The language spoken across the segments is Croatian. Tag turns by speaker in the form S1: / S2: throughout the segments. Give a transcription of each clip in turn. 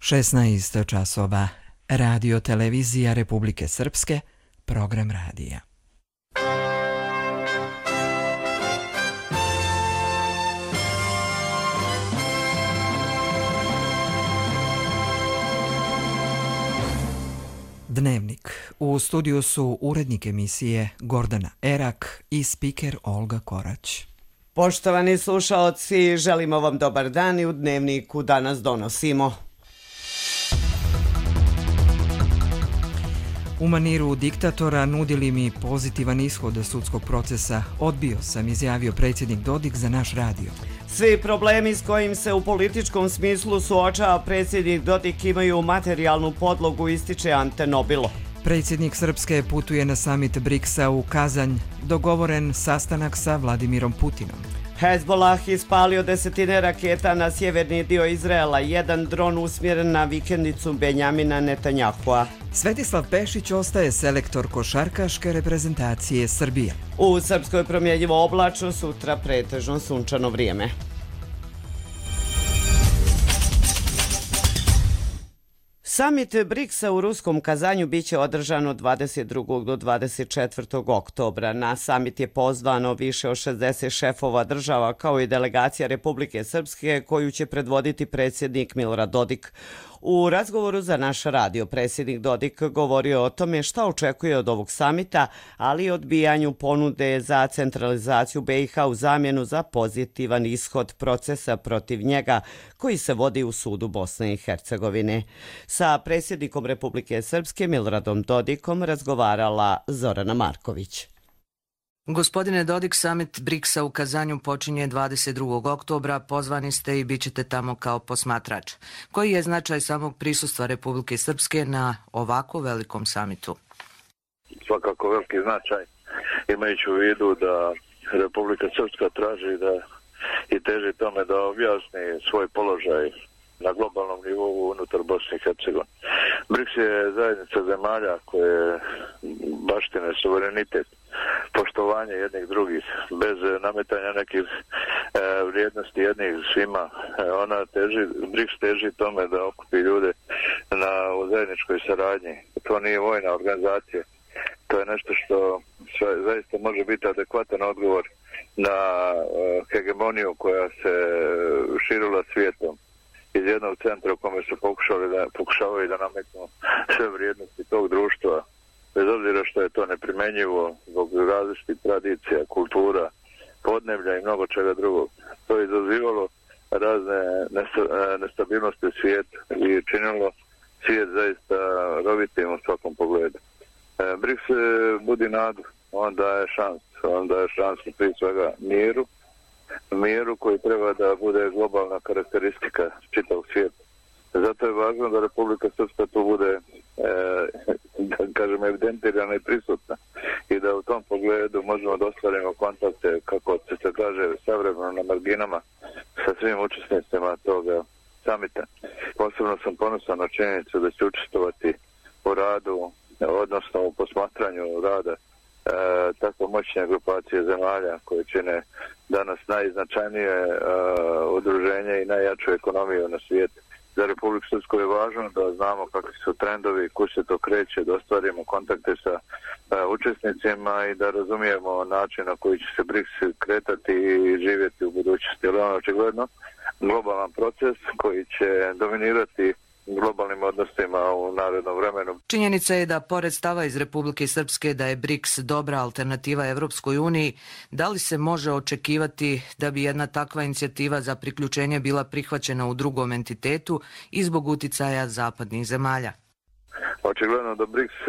S1: 16 časova. Radio Televizija Republike Srpske, program radija. Dnevnik. U studiju su urednik emisije Gordana Erak i spiker Olga Korać.
S2: Poštovani slušaoci, želimo vam dobar dan i u Dnevniku danas donosimo.
S1: U maniru diktatora nudili mi pozitivan ishod sudskog procesa. Odbio sam, izjavio predsjednik Dodik za naš radio.
S2: Svi problemi s kojim se u političkom smislu suočava predsjednik Dodik imaju materijalnu podlogu, ističe Ante Nobilo.
S1: Predsjednik Srpske putuje na samit BRICS-a u Kazanj. Dogovoren sastanak sa Vladimirom Putinom.
S2: Hezbollah ispalio desetine raketa na sjeverni dio Izraela, jedan dron usmjeren na vikendicu Benjamina Netanjahua.
S1: Svetislav Pešić ostaje selektor košarkaške reprezentacije Srbije.
S2: U Srpskoj promjenjivo oblačno, sutra pretežno sunčano vrijeme. Samit BRICS-a u ruskom Kazanju biće održan od 22. do 24. oktobra. Na samit je pozvano više od 60 šefova država kao i delegacija Republike Srpske koju će predvoditi predsjednik Milorad Dodik. U razgovoru za naš radio predsjednik Dodik govorio o tome šta očekuje od ovog samita, ali i odbijanju ponude za centralizaciju BiH u zamjenu za pozitivan ishod procesa protiv njega koji se vodi u sudu Bosne i Hercegovine. Sa predsjednikom Republike Srpske Miloradom Dodikom razgovarala Zorana Marković.
S3: Gospodine Dodik, samit BRICS-a u Kazanju počinje 22. oktobra, pozvani ste i bit ćete tamo kao posmatrač. Koji je značaj samog prisustva Republike Srpske na ovako velikom samitu?
S4: Svakako veliki značaj, imajući u vidu da Republika Srpska traži da i teži tome da objasni svoj položaj na globalnom nivou unutar Bosne i Hercegovine. BRICS je zajednica zemalja koje baštine suverenitet, poštovanje jednih drugih, bez nametanja nekih vrijednosti jednih svima. BRICS teži tome da okupi ljude u zajedničkoj saradnji. To nije vojna organizacija. To je nešto što zaista može biti adekvatan odgovor na hegemoniju koja se širila svijetom iz jednog centra u kome su pokušavaju da nametnu sve vrijednosti tog društva, bez obzira što je to neprimenjivo zbog različitih tradicija, kultura, podneblja i mnogo čega drugog. To je izazivalo razne nestabilnosti u svijetu i činilo svijet zaista rovitim u svakom pogledu. BRICS budi nadu, on daje šansu prije svega miru koji treba da bude globalna karakteristika čitavog svijeta. Zato je važno da Republika Srpska tu bude, da kažem, evidentirana i prisutna i da u tom pogledu možemo da ostvarimo kontakte, kako se kaže, savremeno na marginama sa svim učesnicima toga samita. Posebno sam ponosan na činjenicu da će učestvovati u radu, odnosno u posmatranju rada tako moćne grupacije zemalja koje čine danas najznačajnije udruženje i najjaču ekonomiju na svijetu. Za Republiku Srpsku je važno da znamo kakvi su trendovi, kuda se to kreće, da ostvarimo kontakte sa učesnicima i da razumijemo način na koji će se BRICS kretati i živjeti u budućnosti. Ali ono očigledno globalan proces koji će dominirati globalnim odnosima u narednom vremenu.
S3: Činjenica je da pored stava iz Republike Srpske da je BRICS dobra alternativa Evropskoj uniji, da li se može očekivati da bi jedna takva inicijativa za priključenje bila prihvaćena u drugom entitetu i zbog uticaja zapadnih zemalja?
S4: Očigledno da BRICS,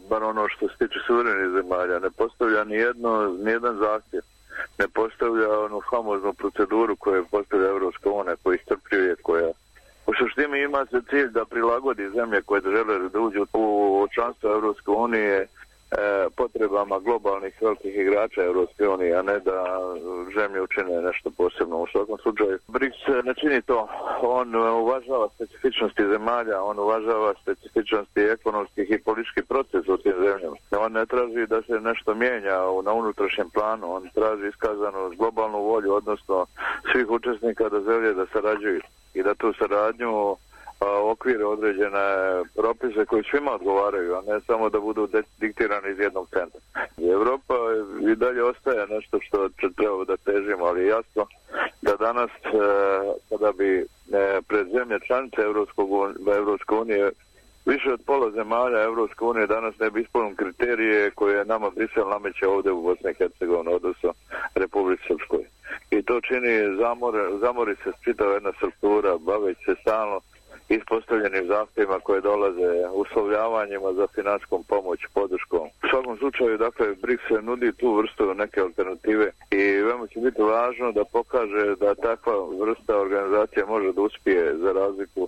S4: bar ono što se tiče suverenih zemalja, ne postavlja nijedan zahtjev, ne postavlja onu famoznu proceduru koju postavlja Evropska unija, koja iscrpljuje, koja u suštini ima se cilj da prilagodi zemlje koje žele da uđu u članstvo Evropske unije potrebama globalnih velikih igrača Evropske unije, a ne da zemlje učine nešto posebno. U svakom slučaju, BRICS ne čini to. On uvažava specifičnosti zemalja, on uvažava specifičnosti ekonomskih i političkih procesa u tim zemljama. On ne traži da se nešto mijenja na unutrašnjem planu, on traži iskazanu globalnu volju, odnosno svih učesnika da žele da sarađuju i da tu saradnju okvire, određene propise koji svima odgovaraju, a ne samo da budu diktirani iz jednog centra. Evropa i dalje ostaje nešto što treba da težimo, ali jasno da danas kada bi pred zemlje članice Evropske unije više od pola zemalja Evropske unije danas ne bi ispunili kriterije koje nama Brisel nameće ovdje u Bosni i Hercegovini, odnosno Republici Srpskoj. I to čini zamori se čitava jedna struktura, baveći se stalno ispostavljenim zahtjevima koje dolaze, uslovljavanjima za financijskom pomoć, podrškom. U svakom slučaju, dakle, BRICS se nudi tu vrstu neke alternative i veoma će biti važno da pokaže da takva vrsta organizacije može da uspije za razliku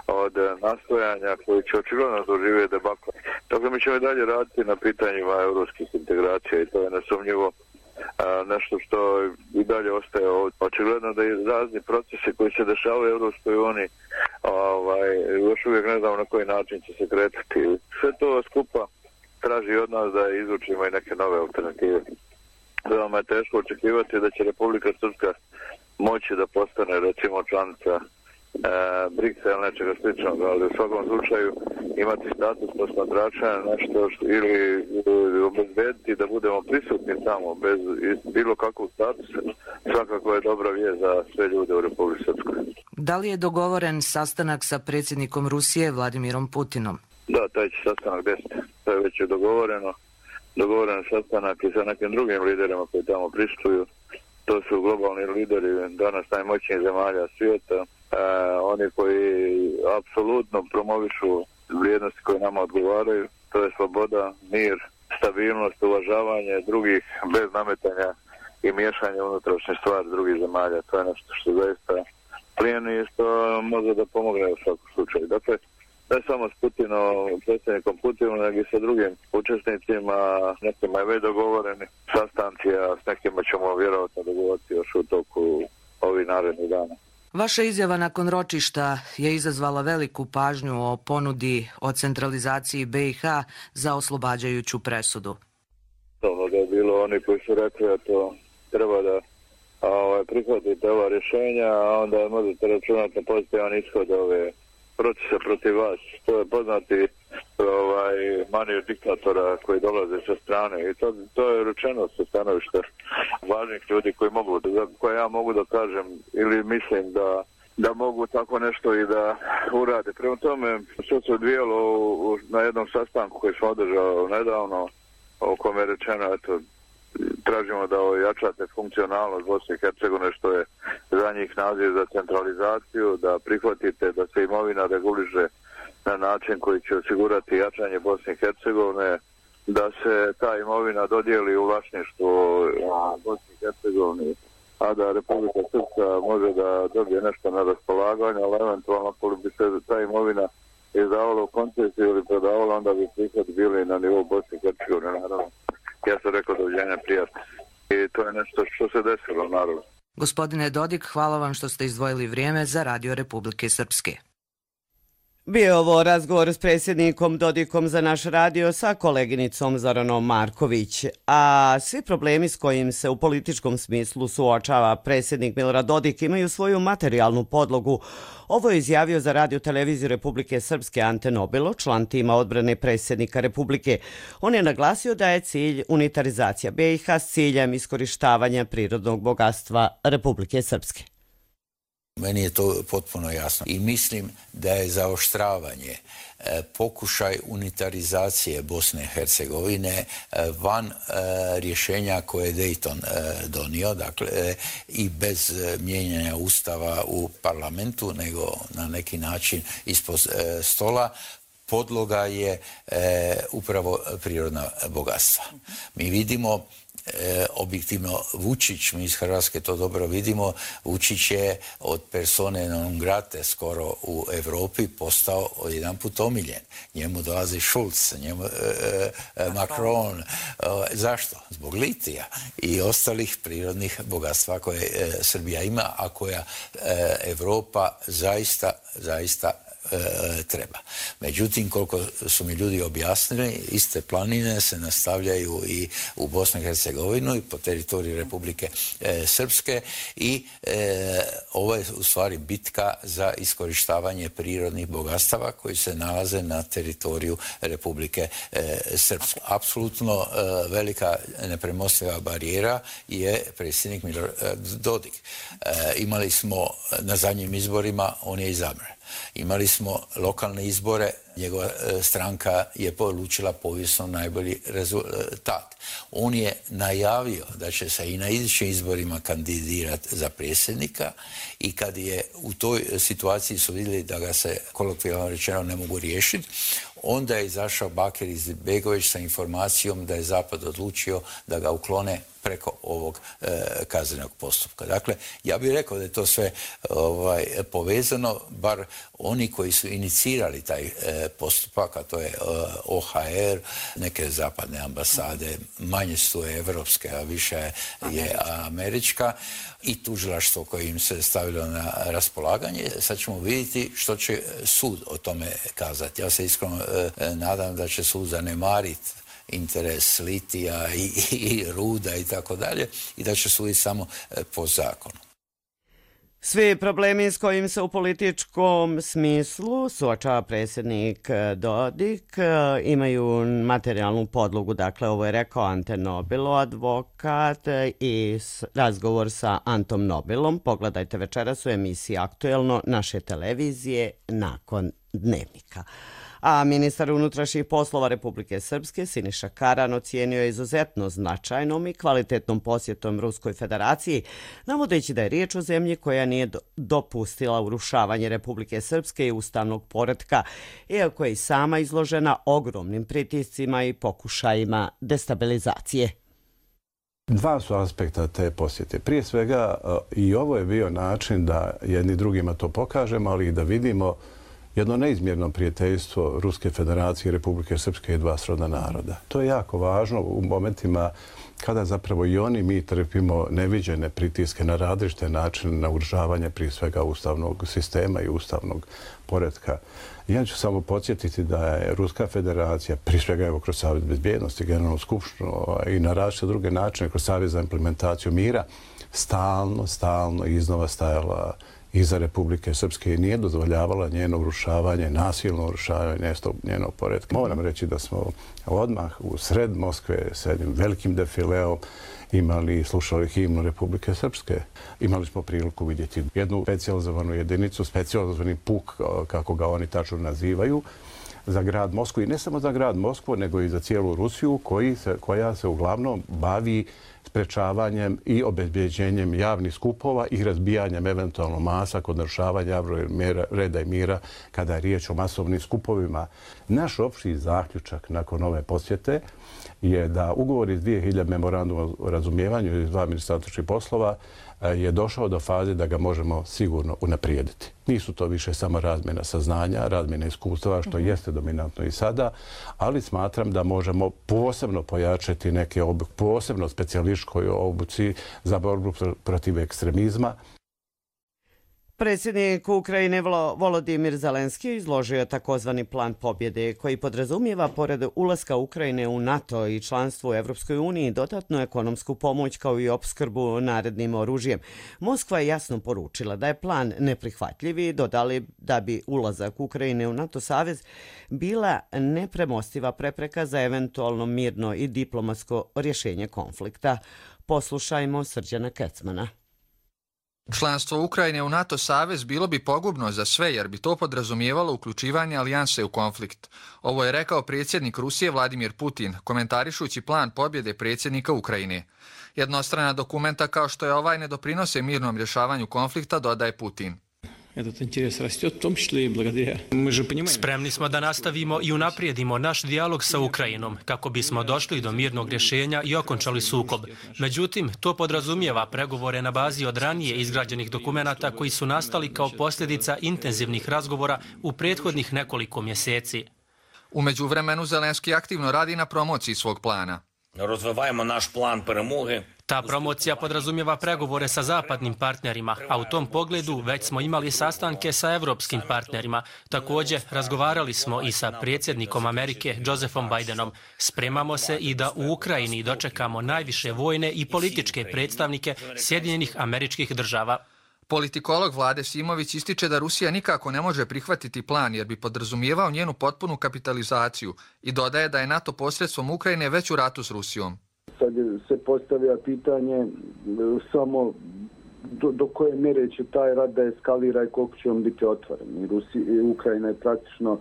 S4: od nastojanja koji će očigledno doživjeti debakla. Dakle, mi ćemo i dalje raditi na pitanjima europskih integracija i to je nesumnjivo nešto što i dalje ostaje ovdje. Očigledno da i razni procesi koji se dešavaju u Europskoj uniji još uvijek ne znamo na koji način će se kretati. Sve to skupa traži od nas da izvučimo i neke nove alternative. Veoma je teško očekivati da će Republika Srpska moći da postane recimo članica BRICS-a ili nečega sličnog, ali u svakom slučaju imati status posmatrača nešto ili obezbediti da budemo prisutni tamo bez bilo kakvog statusa, svakako je dobra vijest za sve ljude u Republici Srpskoj.
S3: Da li je dogovoren sastanak sa predsjednikom Rusije Vladimirom Putinom?
S4: Da, taj će sastanak desiti. To je već dogovoreno. Dogovoren sastanak i sa nekim drugim liderima koji tamo pristuju. To su globalni lideri danas najmoćnijih zemalja svijeta. Oni koji apsolutno promovišu vrijednosti koje nama odgovaraju, to je sloboda, mir, stabilnost, uvažavanje drugih bez nametanja i miješanja unutrašnje stvari drugih zemalja. To je nešto što zaista plijeni i što može da pomogne u svakom slučaju. Dakle, ne samo s predsjednikom Putinom, nego i sa drugim učesnicima, nekima je već dogovoreni sastanci, a s nekima ćemo vjerovatno dogovoriti još u toku ovih narednih dana.
S3: Vaša izjava nakon ročišta je izazvala veliku pažnju o ponudi o centralizaciji BiH za oslobađajuću presudu.
S4: Da je bilo oni koji su rekli da to treba da prihvatite ova rješenja, a onda možete računati na pozitivan ishod ove procesa protiv vas. To je poznati manir diktatora koji dolaze sa strane i to je rečeno sa stanovišta važnih ljudi koje ja mogu da kažem ili mislim da mogu tako nešto i da urade. Prema tome, što se odvijalo na jednom sastanku koji smo održali nedavno, o kome je rečeno, tražimo da ojačate funkcionalnost Bosne i Hercegovine, što je za njih naziv za centralizaciju, da prihvatite da se imovina reguliše na način koji će osigurati jačanje Bosne i Hercegovine, da se ta imovina dodijeli u vlasništvo Bosne i Hercegovine, a da Republika Srpska može da dobije nešto na raspolaganje, ali eventualno ako bi se ta imovina izdavala u koncesiju ili prodavala, onda bi prihod bili na nivou Bosne i Hercegovine, naravno. Ja sam rekao doviđenja prijatno. I to je nešto što se desilo, naravno.
S3: Gospodine Dodik, hvala vam što ste izdvojili vrijeme za Radio Republike Srpske.
S2: Bio je ovo razgovor s predsjednikom Dodikom za naš radio sa koleginicom Zoranom Marković. A svi problemi s kojim se u političkom smislu suočava predsjednik Milorad Dodik imaju svoju materijalnu podlogu. Ovo je izjavio za Radio televiziju Republike Srpske Ante Nobilo, član tima odbrane predsjednika Republike. On je naglasio da je cilj unitarizacija BiH s ciljem iskorištavanja prirodnog bogatstva Republike Srpske.
S5: Meni je to potpuno jasno i mislim da je zaoštravanje, pokušaj unitarizacije Bosne i Hercegovine van rješenja koje je Dayton donio, dakle i bez mijenjanja ustava u parlamentu, nego na neki način ispod stola, podloga je upravo prirodna bogatstva. Mi vidimo objektivno Vučić, mi iz Hrvatske to dobro vidimo, Vučić je od persone non grate skoro u Europi postao jedanput omiljen. Njemu dolazi Schulz, njemu Macron. Zašto? Zbog litija i ostalih prirodnih bogatstva koje Srbija ima, a koja Europa zaista treba. Međutim, koliko su mi ljudi objasnili, iste planine se nastavljaju i u Bosnu i Hercegovinu i po teritoriji Republike Srpske i ovo je u stvari bitka za iskorištavanje prirodnih bogatstava koji se nalaze na teritoriju Republike Srpske. Apsolutno velika nepremostiva barijera je predsjednik Milorad Dodik. Imali smo na zadnjim izborima, on je izabran. Imali smo lokalne izbore, njegova stranka je polučila povijesno najbolji rezultat. On je najavio da će se i na idućim izborima kandidirati za predsjednika i kad je u toj situaciji su vidjeli da ga se kolokvijalno rečeno ne mogu riješiti, onda je izašao Bakir Izetbegović sa informacijom da je Zapad odlučio da ga uklone preko ovog kaznenog postupka. Dakle, ja bih rekao da je to sve povezano, bar oni koji su inicirali taj postupak, a to je OHR, neke zapadne ambasade, manje su evropske, a više je američka, i tužilaštvo koje im se stavilo na raspolaganje. Sad ćemo vidjeti što će sud o tome kazati. Ja se iskreno nadam da će sud zanemariti interes litija i ruda i tako dalje i da će suditi samo po zakonu.
S2: Svi problemi s kojim se u političkom smislu suočava predsjednik Dodik imaju materijalnu podlogu. Dakle, ovo je rekao Ante Nobilo, advokat, i razgovor sa Antom Nobilom. Pogledajte večeras u emisiji Aktuelno naše televizije nakon Dnevnika. A ministar unutrašnjih poslova Republike Srpske Siniša Karan ocijenio je izuzetno značajnom i kvalitetnom posjetom Ruskoj federaciji, navodeći da je riječ o zemlji koja nije dopustila urušavanje Republike Srpske i ustavnog poretka, iako je i sama izložena ogromnim pritiscima i pokušajima destabilizacije.
S6: Dva su aspekta te posjete. Prije svega i ovo je bio način da jedni drugima to pokažemo, ali i da vidimo jedno neizmjerno prijateljstvo Ruske federacije i Republike Srpske i dva srodna naroda. To je jako važno u momentima kada zapravo i oni mi trpimo neviđene pritiske na različite načine na urušavanje prije svega ustavnog sistema i ustavnog poretka. Ja ću samo podsjetiti da je Ruska federacija, prije svega evo kroz Savjet bezbjednosti, Generalnu skupštinu i na različite druge načine, kroz Savjet za implementaciju mira, stalno iznova stajala iza Republike Srpske i nije dozvoljavala njeno urušavanje, nasilno urušavanje njenog poretka. Moram reći da smo odmah u sred Moskve s jednim velikim defileom imali i slušali himnu Republike Srpske. Imali smo priliku vidjeti jednu specijalizovanu jedinicu, specijalizovani puk, kako ga oni tačno nazivaju, za grad Moskvu i ne samo za grad Moskvu, nego i za cijelu Rusiju, koja se uglavnom bavi sprečavanjem i obezbeđenjem javnih skupova i razbijanjem eventualno masa kod narušavanja javnog reda i mira kada je riječ o masovnim skupovima. Naš opći zaključak nakon ove posjete je da ugovor iz 2000 memoranduma o razumijevanju iz dva ministarstva poslova je došao do faze da ga možemo sigurno unaprijediti. Nisu to više samo razmjena saznanja, razmjena iskustava, što jeste dominantno i sada, ali smatram da možemo posebno pojačati neke posebno specijalističkoj obuci za borbu protiv ekstremizma.
S2: Predsjednik Ukrajine Volodimir Zelenski izložio takozvani plan pobjede koji podrazumijeva pored ulaska Ukrajine u NATO i članstvo u Evropskoj uniji dodatnu ekonomsku pomoć kao i opskrbu narednim oružjem. Moskva je jasno poručila da je plan neprihvatljiv i dodali da bi ulazak Ukrajine u NATO savez bila nepremostiva prepreka za eventualno mirno i diplomatsko rješenje konflikta. Poslušajmo Srđana Kecmana.
S7: Članstvo Ukrajine u NATO savez bilo bi pogubno za sve jer bi to podrazumijevalo uključivanje alijanse u konflikt. Ovo je rekao predsjednik Rusije Vladimir Putin, komentarišući plan pobjede predsjednika Ukrajine. Jednostrana dokumenta kao što je ovaj ne doprinose mirnom rješavanju konflikta, dodaje Putin.
S8: Spremni smo da nastavimo i unaprijedimo naš dijalog sa Ukrajinom kako bismo došli do mirnog rješenja i okončali sukob. Međutim, to podrazumijeva pregovore na bazi od ranije izgrađenih dokumenata koji su nastali kao posljedica intenzivnih razgovora u prethodnih nekoliko mjeseci.
S7: U međuvremenu Zelenski aktivno radi na promociji svog plana.
S9: Розвиваємо наш план перемоги.
S8: Ta promocija podrazumijeva pregovore sa zapadnim partnerima, a u tom pogledu već smo imali sastanke sa evropskim partnerima. Također, razgovarali smo i sa predsjednikom Amerike, Josephom Bidenom. Spremamo se i da u Ukrajini dočekamo najviše vojne i političke predstavnike Sjedinjenih Američkih Država.
S7: Politikolog Vlade Simović ističe da Rusija nikako ne može prihvatiti plan jer bi podrazumijevao njenu potpunu kapitalizaciju i dodaje da je NATO posredstvom Ukrajine već u ratu s Rusijom.
S10: Sad se postavlja pitanje samo do koje mjere će taj rat da eskalira i koliko će on biti otvoren. Ukrajina je praktično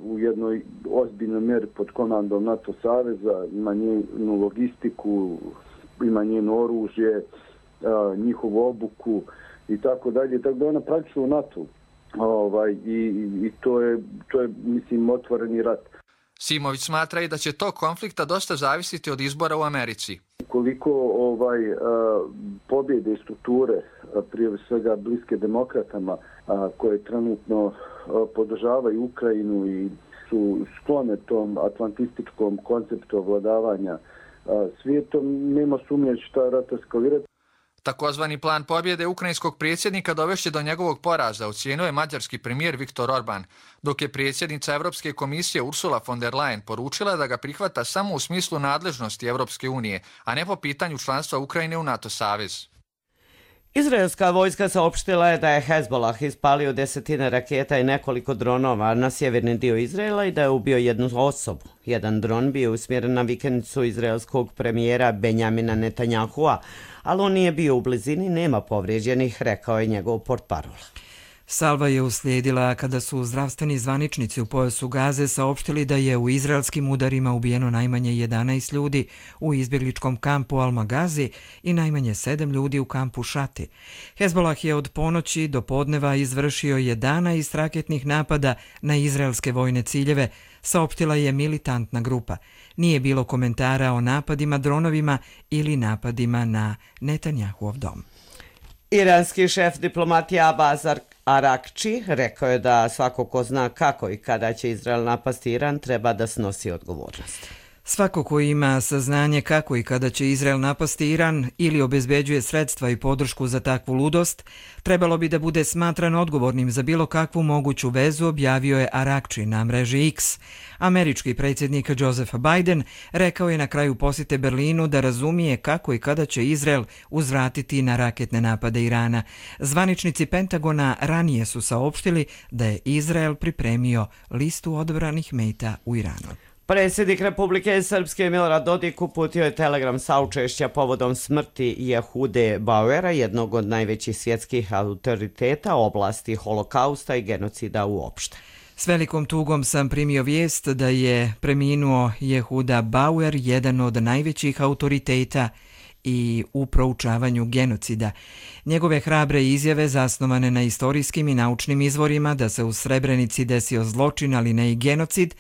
S10: u jednoj ozbiljnoj mjeri pod komandom NATO saveza, ima njenu logistiku, ima njeno oružje, njihovu obuku i tako dalje, tako da ona praktično u NATO i to je mislim otvoreni rat.
S7: Simović smatra i da će tog konflikta dosta zavisiti od izbora u Americi.
S10: Koliko pobjede strukture, prije svega bliske demokratama, koje trenutno podržavaju Ukrajinu i su sklone tom atlantističkom konceptu ovladavanja svijetom, nema sumnje da će taj rat eskalirati.
S7: Takozvani plan pobjede ukrajinskog predsjednika dovešće do njegovog poraza, ocjenjuje mađarski premijer Viktor Orban, dok je predsjednica Europske komisije Ursula von der Leyen poručila da ga prihvata samo u smislu nadležnosti Europske unije, a ne po pitanju članstva Ukrajine u NATO savez.
S2: Izraelska vojska saopštila je da je Hezbollah ispalio 10 raketa i nekoliko dronova na sjeverni dio Izraela i da je ubio jednu osobu. Jedan dron bio usmjeren na vikendicu izraelskog premijera Benjamina Netanyahua, ali on nije bio u blizini, nema povrijeđenih, rekao je njegov portparol.
S1: Salva je uslijedila kada su zdravstveni zvaničnici u pojasu Gaze saopštili da je u izraelskim udarima ubijeno najmanje 11 ljudi u izbjegličkom kampu Al-Magazi i najmanje 7 ljudi u kampu Šati. Hezbollah je od ponoći do podneva izvršio 11 raketnih napada na izraelske vojne ciljeve, saopštila je militantna grupa. Nije bilo komentara o napadima dronovima ili napadima na Netanjahuov dom.
S2: Iranski šef diplomatije Abbas Arakči rekao je da svako ko zna kako i kada će Izrael napasti Iran treba da snosi odgovornost.
S1: Svako ko ima saznanje kako i kada će Izrael napasti Iran ili obezbeđuje sredstva i podršku za takvu ludost, trebalo bi da bude smatran odgovornim za bilo kakvu moguću vezu, objavio je Arakči na mreži X. Američki predsjednik Joseph Biden rekao je na kraju posjete Berlinu da razumije kako i kada će Izrael uzvratiti na raketne napade Irana. Zvaničnici Pentagona ranije su saopštili da je Izrael pripremio listu odabranih meta u Iranu.
S2: Predsjednik Republike Srpske Milorad Dodik uputio je telegram saučešća povodom smrti Jehude Bauera, jednog od najvećih svjetskih autoriteta oblasti holokausta i genocida uopšte.
S1: S velikom tugom sam primio vijest da je preminuo Jehuda Bauer, jedan od najvećih autoriteta i u proučavanju genocida. Njegove hrabre izjave, zasnovane na istorijskim i naučnim izvorima da se u Srebrenici desio zločin, ali ne i genocid,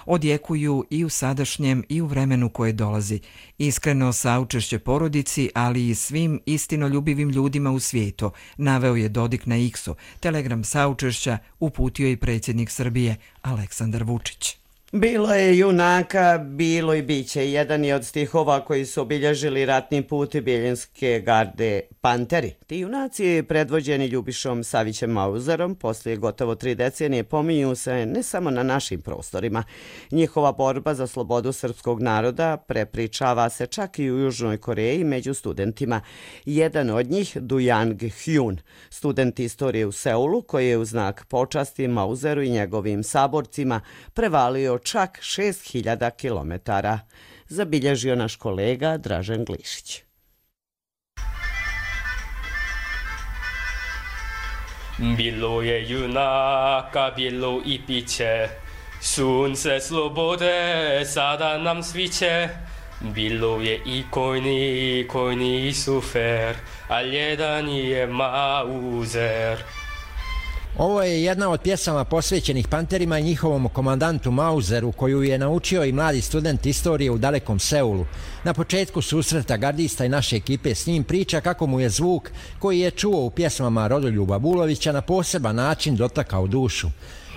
S1: odjekuju i u sadašnjem i u vremenu koje dolazi. Iskreno saučešće porodici, ali i svim istinoljubivim ljudima u svijetu, naveo je Dodik na X-u. Telegram saučešća uputio i predsjednik Srbije Aleksandar Vučić.
S2: Bilo je junaka, bilo i biće. Jedan je od stihova koji su obilježili ratni put Bijeljinske garde Panteri. Ti junaci, predvođeni Ljubišom Savićem Mauzerom, poslije gotovo 3 decenije pominju se ne samo na našim prostorima. Njihova borba za slobodu srpskog naroda prepričava se čak i u Južnoj Koreji među studentima. Jedan od njih, Du Yang Hyun, student istorije u Seulu, koji je u znak počasti Mauzeru i njegovim saborcima prevalio čak 6000 kilometara, zabilježio naš kolega Dražen Glišić.
S11: Bilo je junaka, bilo i piće, sunce slobode sada nam sviće. Bilo je i kojni sufer, a jedan je Mauzer.
S12: Ovo je jedna od pjesama posvećenih Panterima i njihovom komandantu Mauzeru, koju je naučio i mladi student istorije u dalekom Seulu. Na početku susreta gardista i naše ekipe s njim priča kako mu je zvuk koji je čuo u pjesmama Rodoljuba Bulovića na poseban način dotakao dušu.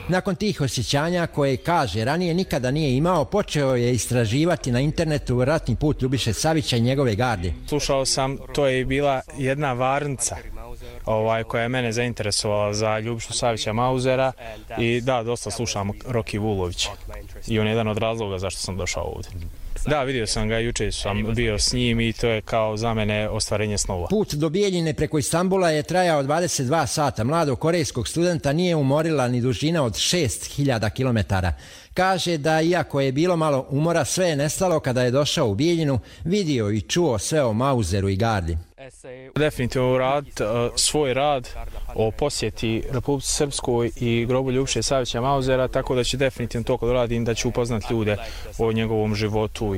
S12: Nakon tih osjećanja koje, kaže, ranije nikada nije imao, počeo je istraživati na internetu ratni put Ljubiše Savića i njegove garde.
S13: Slušao sam, to je bila jedna varnica koja je mene zainteresovala za Ljubišu Savića Mauzera i da, dosta slušam Roki Vulovića i on je jedan od razloga zašto sam došao ovdje. Da, vidio sam ga, juče sam bio s njim i to je kao za mene ostvarenje snova.
S12: Put do Bijeljine preko Istanbula je trajao 22 sata. Mladog korejskog studenta nije umorila ni dužina od 6000 km. Kaže da iako je bilo malo umora, sve je nestalo kada je došao u Bijeljinu, vidio i čuo sve o Mauzeru i gardi.
S13: Definitivno raditi svoj rad o posjeti Republici Srpskoj i grobu Ljubiše Savića Mauzera, tako da će definitivno to kad radim da ću upoznati ljude o njegovom životu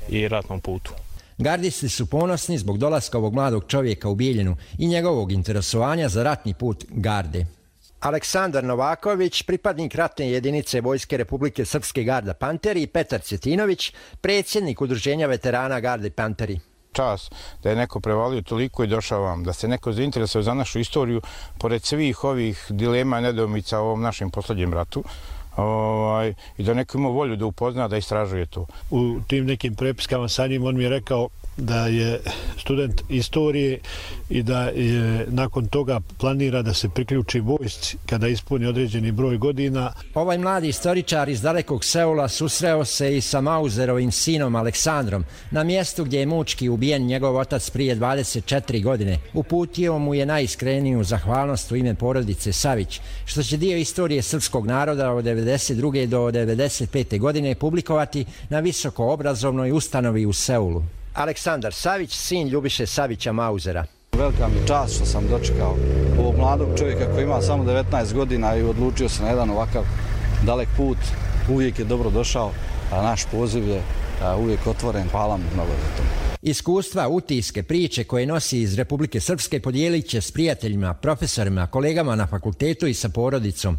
S13: i ratnom putu.
S12: Gardisti su ponosni zbog dolaska ovog mladog čovjeka u Bijeljinu i njegovog interesovanja za ratni put garde. Aleksandar Novaković, pripadnik ratne jedinice Vojske Republike Srpske Garda Panteri, i Petar Cetinović, predsjednik udruženja veterana Garde Panteri.
S14: Čas da je neko prevalio toliko i došao vam, da se neko zainteresovao za našu istoriju, pored svih ovih dilema i nedoumica u ovom našem posljednjem ratu, i da neko ima volju da upozna, da istražuje to.
S15: U tim nekim prepiskama sa njim on mi je rekao da je student istorije i da je nakon toga planira da se priključi vojsci kada ispuni određeni broj godina.
S12: Ovaj mladi istoričar iz dalekog Seula susreo se i sa Mauzerovim sinom Aleksandrom na mjestu gdje je mučki ubijen njegov otac prije 24 godine. Uputio mu je najiskreniju zahvalnost u ime porodice Savić, što će dio istorije srpskog naroda od 1992. do 1995. godine publikovati na visoko obrazovnoj ustanovi u Seulu. Aleksandar Savić, sin Ljubiše Savića Mauzera.
S16: Velika mi je čast što sam dočekao ovog mladog čovjeka koji ima samo 19 godina i odlučio se na jedan ovakav dalek put. Uvijek je dobro došao, a naš poziv je uvijek otvoren. Hvala mu mnogo za to.
S12: Iskustva, utiske, priče koje nosi iz Republike Srpske podijelit će s prijateljima, profesorima, kolegama na fakultetu i sa porodicom.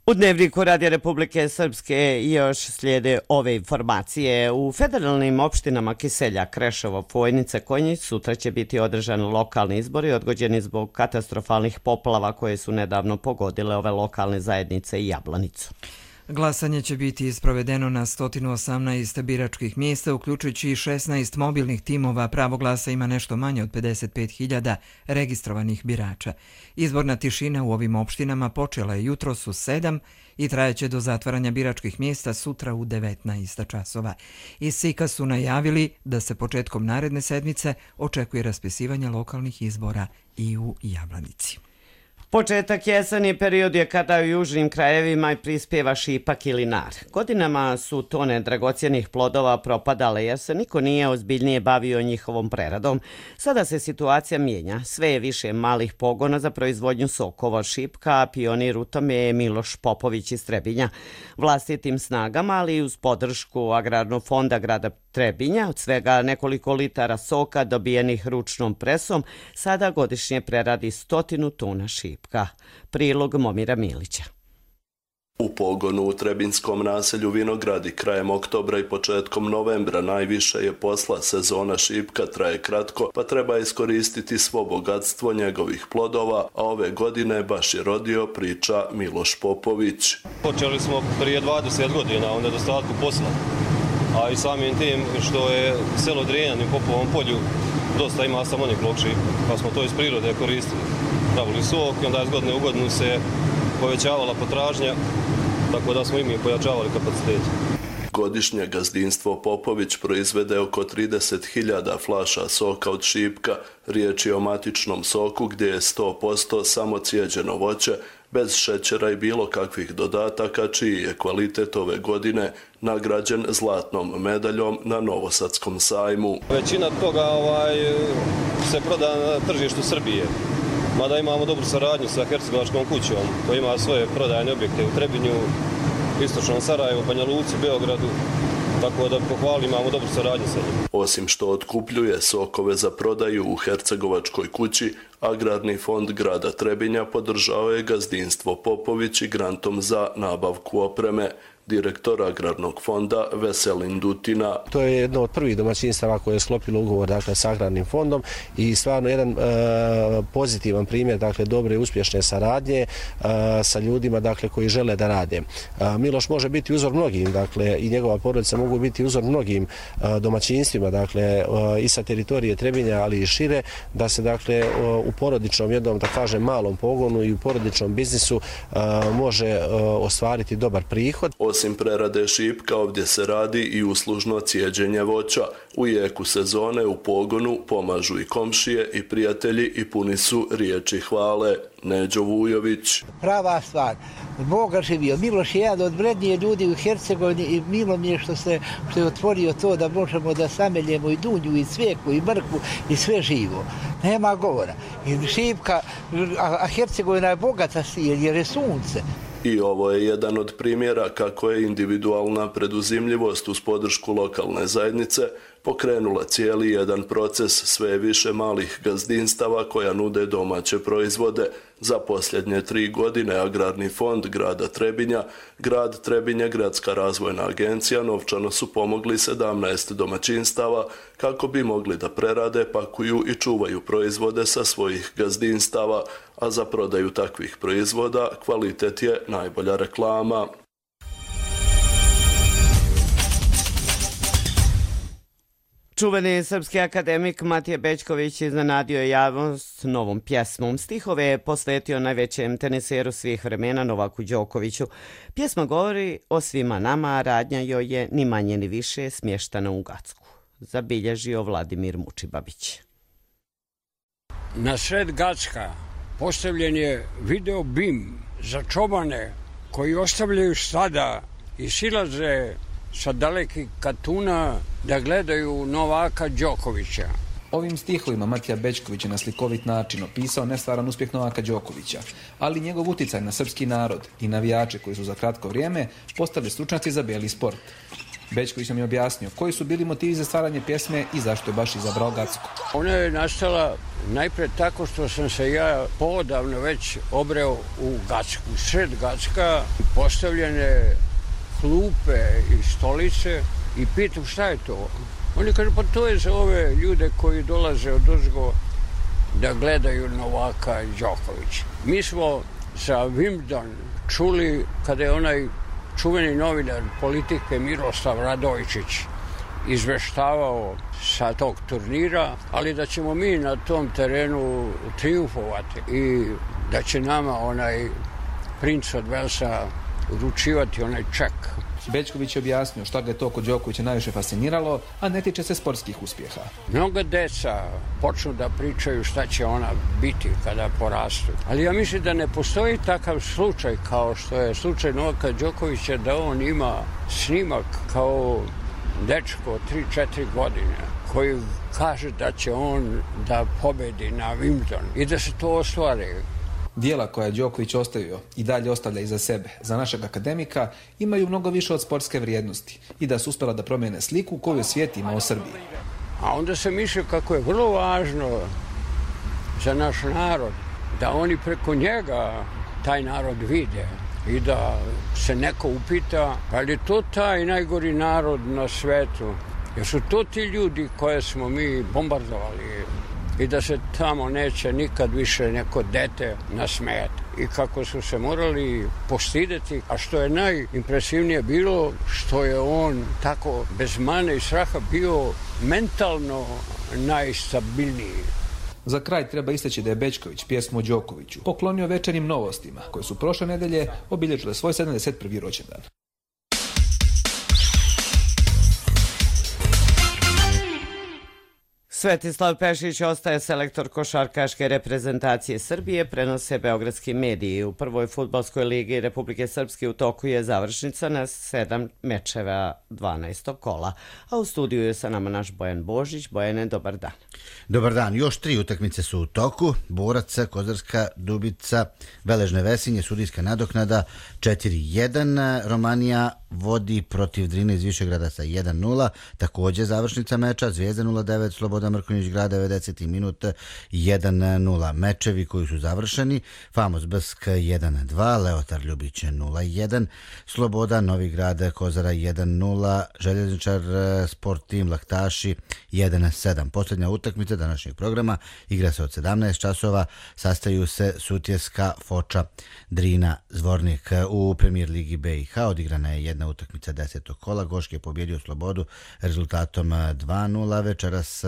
S2: U Dnevniku Radija Republike Srpske još slijede ove informacije. U federalnim opštinama Kiselja, Kreševo, Fojnice, Konjić sutra će biti održani lokalni izbori odgođeni zbog katastrofalnih poplava koje su nedavno pogodile ove lokalne zajednice i Jablanicu.
S1: Glasanje će biti sprovedeno na 118 biračkih mjesta, uključujući i 16 mobilnih timova. Pravo glasa ima nešto manje od 55.000 registrovanih birača. Izborna tišina u ovim opštinama počela je jutros u 7 i trajeće do zatvaranja biračkih mjesta sutra u 19 časova. Iz SIK-a su najavili da se početkom naredne sedmice očekuje raspisivanje lokalnih izbora i u Jablanici.
S2: Početak jeseni period je kada u južnim krajevima prispjeva šipak ili nar. Godinama su tone dragocjenih plodova propadale jer se niko nije ozbiljnije bavio njihovom preradom. Sada se situacija mijenja. Sve je više malih pogona za proizvodnju sokova od šipka, a pionir u tome je Miloš Popović iz Trebinja. Vlastitim snagama, ali i uz podršku Agrarnog fonda grada Trebinja, od svega nekoliko litara soka dobijenih ručnom presom, sada godišnje preradi 100 tona šipka. Prilog Momira Milića.
S17: U pogonu u trebinskom naselju Vinogradi krajem oktobra i početkom novembra najviše je posla. Sezona šipka traje kratko, pa treba iskoristiti svo bogatstvo njegovih plodova, a ove godine baš je rodio, priča Miloš Popović.
S18: Počeli smo prije 20 godina u nedostatku posla, a i samim tim što je selo Drenjan u Popovom polju dosta ima samoniklog šipka, pa smo to iz prirode koristili. Pravili sok i onda iz godine u godinu se povećavala potražnja, tako da smo i mi pojačavali kapacitet.
S17: Godišnje gazdinstvo Popović proizvede oko 30.000 flaša soka od šipka. Riječ je o matičnom soku gdje je 100% samo cijeđeno voće, bez šećera i bilo kakvih dodataka, čiji je kvalitet ove godine nagrađen zlatnom medaljom na Novosadskom sajmu.
S18: Većina toga se proda na tržištu Srbije. Mada imamo dobru saradnju sa Hercegovačkom kućom, koja ima svoje prodajne objekte u Trebinju, Istočnom Sarajevu, Banja Luci, Beogradu, tako da pohvali, imamo dobru saradnju sa njim.
S17: Osim što otkupljuje sokove za prodaju u Hercegovačkoj kući, Agrarni fond grada Trebinja podržao je gazdinstvo Popović i grantom za nabavku opreme. direktor Agrarnog fonda Veselin Dutina.
S19: To je jedno od prvih domaćinstava koje je sklopilo ugovor sa Agrarnim fondom i stvarno jedan pozitivan primjer dobre i uspješne saradnje sa ljudima koji žele da rade. Miloš može biti uzor mnogim, i njegova porodica mogu biti uzor mnogim domaćinstvima, i sa teritorije Trebinja, ali i šire, da se u porodičnom jednom, malom pogonu i u porodičnom biznisu može ostvariti dobar prihod.
S17: Osim prerade šipka, ovdje se radi i uslužno cijeđenje voća. U jeku sezone u pogonu pomažu i komšije i prijatelji i puni su riječi hvale. Neđo Vujović.
S20: Prava stvar. Boga živio. Miloš je jedan od vrednije ljudi u Hercegovini i milo mi je što je otvorio to da možemo da sameljemo i dunju, i cvijeku, i mrkvu, i sve živo. Nema govora. I šipka, a Hercegovina je bogata jer je sunce.
S17: I ovo je jedan od primjera kako je individualna preduzimljivost uz podršku lokalne zajednice pokrenula cijeli jedan proces sve više malih gazdinstava koja nude domaće proizvode. Za posljednje 3 godine Agrarni fond grada Trebinja, grad Trebinje, Gradska razvojna agencija novčano su pomogli 17 domaćinstava kako bi mogli da prerade, pakuju i čuvaju proizvode sa svojih gazdinstava, a za prodaju takvih proizvoda kvalitet je najbolja reklama.
S2: Čuveni srpski akademik Matija Bećković iznenadio je javnost novom pjesmom. Stihove je posvetio najvećem teniseru svih vremena Novaku Đokoviću. Pjesma govori o svima nama, a radnja joj je ni manje ni više smještana u Gacku. Zabilježio Vladimir Mučibabić.
S21: Na sred Gacka postavljen je video bim za čobane koji ostavljaju stada i silaze sa dalekih Katuna da gledaju Novaka Đokovića.
S22: Ovim stihovima Matija Bećković je na slikovit način opisao nestvaran uspjeh Novaka Đokovića, ali njegov uticaj na srpski narod i navijače koji su za kratko vrijeme postali stručnjaci za bijeli sport. Bećković nam je objasnio koji su bili motivi za stvaranje pjesme i zašto je baš izabrao Gacku.
S21: Ona je nastala najpred tako što sam se ja poodavno već obreo u Gacku. Sred Gacka postavljene klupe i stolice i pitam šta je to. Oni kažu pa to je za ove ljude koji dolaze odozgo da gledaju Novaka Đokovića. Mi smo za Wimbledon čuli kada je onaj čuveni novinar politike Miroslav Radojčić izveštavao sa tog turnira, ali da ćemo mi na tom terenu triumfovati i da će nama onaj princ od Velsa uručivati onaj ček.
S22: Bećković je objasnio šta ga je to kod Đokovića najviše fasciniralo, a ne tiče se sportskih uspjeha.
S21: Mnoga deca počnu da pričaju šta će ona biti kada porastu. Ali ja mislim da ne postoji takav slučaj kao što je slučaj Novaka Đokovića, da on ima snimak kao dečko 3-4 godine koji kaže da će on da pobedi na Wimbledon i da se to ostvari.
S22: Dijela koja je Đoković ostavio i dalje ostavlja iza sebe za našeg akademika imaju mnogo više od sportske vrijednosti i da su uspjela da promijene sliku koju svijet ima o Srbiji.
S21: A onda se misli kako je vrlo važno za naš narod da oni preko njega taj narod vide i da se neko upita pa li je to taj najgori narod na svetu, jer su to ti ljudi koje smo mi bombardovali i da se tamo neće nikad više neko dete nasmejati. I kako su se morali postideti, a što je najimpresivnije bilo, što je on tako bez mane i straha bio mentalno najstabilniji.
S22: Za kraj treba istaći da je Bećković pjesmu o Đokoviću poklonio Večernjim novostima, koje su prošle nedelje obilježile svoj 71. rođendan.
S2: Svetislav Pešić ostaje selektor košarkaške reprezentacije Srbije, prenose beogradski mediji. U prvoj fudbalskoj ligi Republike Srpske u toku je završnica na 7 mečeva 12. kola. A u studiju je sa nama naš Bojan Božić. Bojane, dobar dan.
S23: Dobar dan. Još 3 utakmice su u toku. Borac, Kozarska, Dubica, Veležne Vesinje, sudijska nadoknada 4-1. Romanija vodi protiv Drine iz Višegrada sa 1-0. Također završnica meča Zvijezda 0-9, Slobodan Mrkonjić Grad 90. minut 1-0. Mečevi koji su završeni: Famos Brsk 1-2, Leotar Ljubić 0-1, Sloboda Novi Grad Kozara 1-0, Željezničar Sport Tim Laktaši 1-7. Posljednja utakmica današnjeg programa igra se od 17 časova, sastaju se Sutjeska, Foča, Drina, Zvornik. U Premijer Ligi BiH odigrana je jedna utakmica 10. kola. Goški je pobjedio Slobodu rezultatom 2-0. Večeras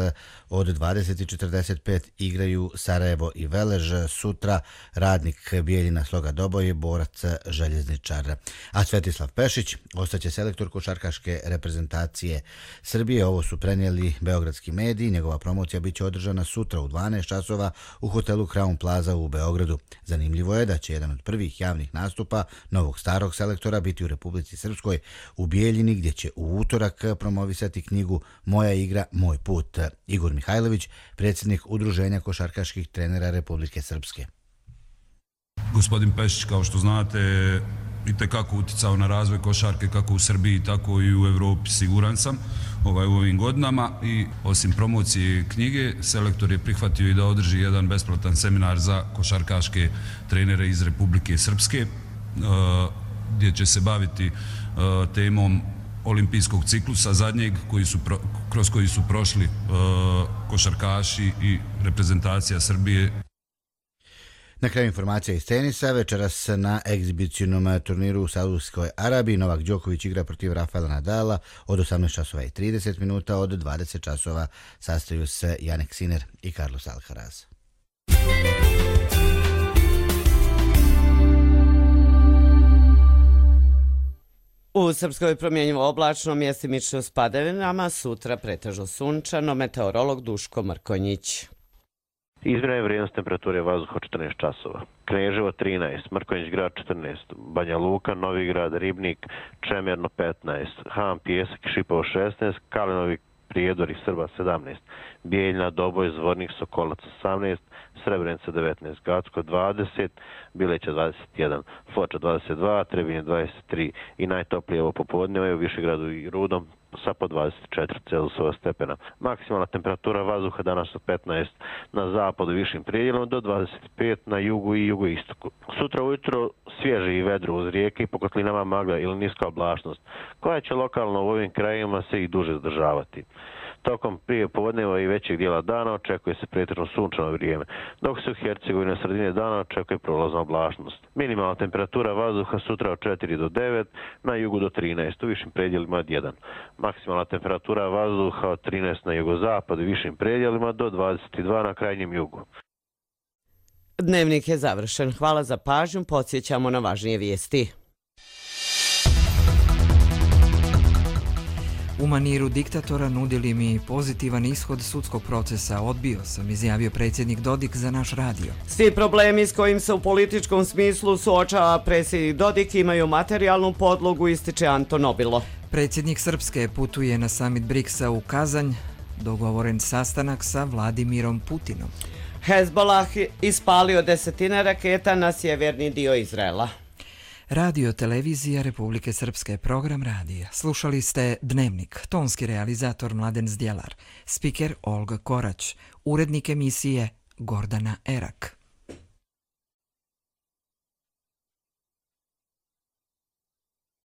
S23: od 20:45 igraju Sarajevo i Velež. Sutra Radnik Bijeljina, Sloga Doboj, Borac Željezničar. A Svetislav Pešić ostaće selektor košarkaške reprezentacije Srbije. Ovo su prenijeli beogradski mediji. Njegova promocija biće održana sutra u 12 časova u hotelu Crown Plaza u Beogradu. Zanimljivo je da će jedan od prvih javnih nastupa novog starog selektora biti u Republici Srpskoj u Bijeljini, gdje će u utorak promovisati knjigu Moja igra, moj put. Igor Mihajlović, predsjednik Udruženja košarkaških trenera Republike Srpske.
S3: Gospodin Pešić, kao što znate, itekako uticao na razvoj košarke kako u Srbiji, tako i u Evropi, siguran sam, u ovim godinama. I osim promocije knjige, selektor je prihvatio i da održi jedan besplatan seminar za košarkaške trenere iz Republike Srpske, gdje će se baviti temom olimpijskog ciklusa zadnjeg kroz koji su prošli košarkaši i reprezentacija Srbije.
S23: Na kraju informacija iz tenisa. Večeras na egzibicionom turniru u Saudijskoj Arabiji Novak Đoković igra protiv Rafaela Nadala od 18:30 minuta. Od 20 časova sastaju se Jannik Sinner i Carlos Alcaraz.
S2: U Srpskoj promjenjivo oblačno, mjestimično s padavinama, sutra pretežno sunčano, meteorolog Duško Mrkonjić.
S4: Izmjena je vrijednost temperature vazduha 14 časova. Kneževo 13, Mrkonjić Grad 14, Banja Luka, Novi Grad, Ribnik, Čemerno 15, Han Pijesak i Šipovo 16, Kalinovi Prijedori Srba 17, Bijeljina, Doboj, Zvornik, Sokolac 18, Srebrenica 19, Gacko 20, Bileća 21, Foča 22, Trebinje 23 i najtoplije ovo popodne u Višegradu i Rudom sa po 24 Celzijusova stepena. Maksimalna temperatura vazduha danas od 15 na zapadu višim predjelom do 25 na jugu i jugoistoku. Sutra ujutro svježe i vedro uz rijeke i po kotlinama magla ili niska oblačnost, koja će lokalno u ovim krajevima se i duže zadržavati. Tokom prije popodneva i većeg dijela dana očekuje se pretežno sunčano vrijeme, dok se u Hercegovini na sredine dana očekuje prolazna oblačnost. Minimalna temperatura vazduha sutra od 4 do 9, na jugu do 13, u višim predjelima od 1. Maksimalna temperatura vazduha od 13 na jugozapadu i višim predjelima do 22 na krajnjem jugu.
S2: Dnevnik je završen. Hvala za pažnju. Podsjećamo na važnije vijesti.
S1: U maniru diktatora nudili mi pozitivan ishod sudskog procesa. Odbio sam, izjavio predsjednik Dodik za naš radio.
S2: Svi problemi s kojim se u političkom smislu suočava predsjednik Dodik imaju materijalnu podlogu, ističe Anton Obilo.
S1: Predsjednik Srpske putuje na samit BRICS-a u Kazanj. Dogovoren sastanak sa Vladimirom Putinom.
S2: Hezbollah ispalio desetine raketa na sjeverni dio Izraela.
S1: Radio televizija Republike Srpske, program radija. Slušali ste Dnevnik, tonski realizator Mladen Zdjelar, spiker Olga Korać, urednik emisije Gordana Erak.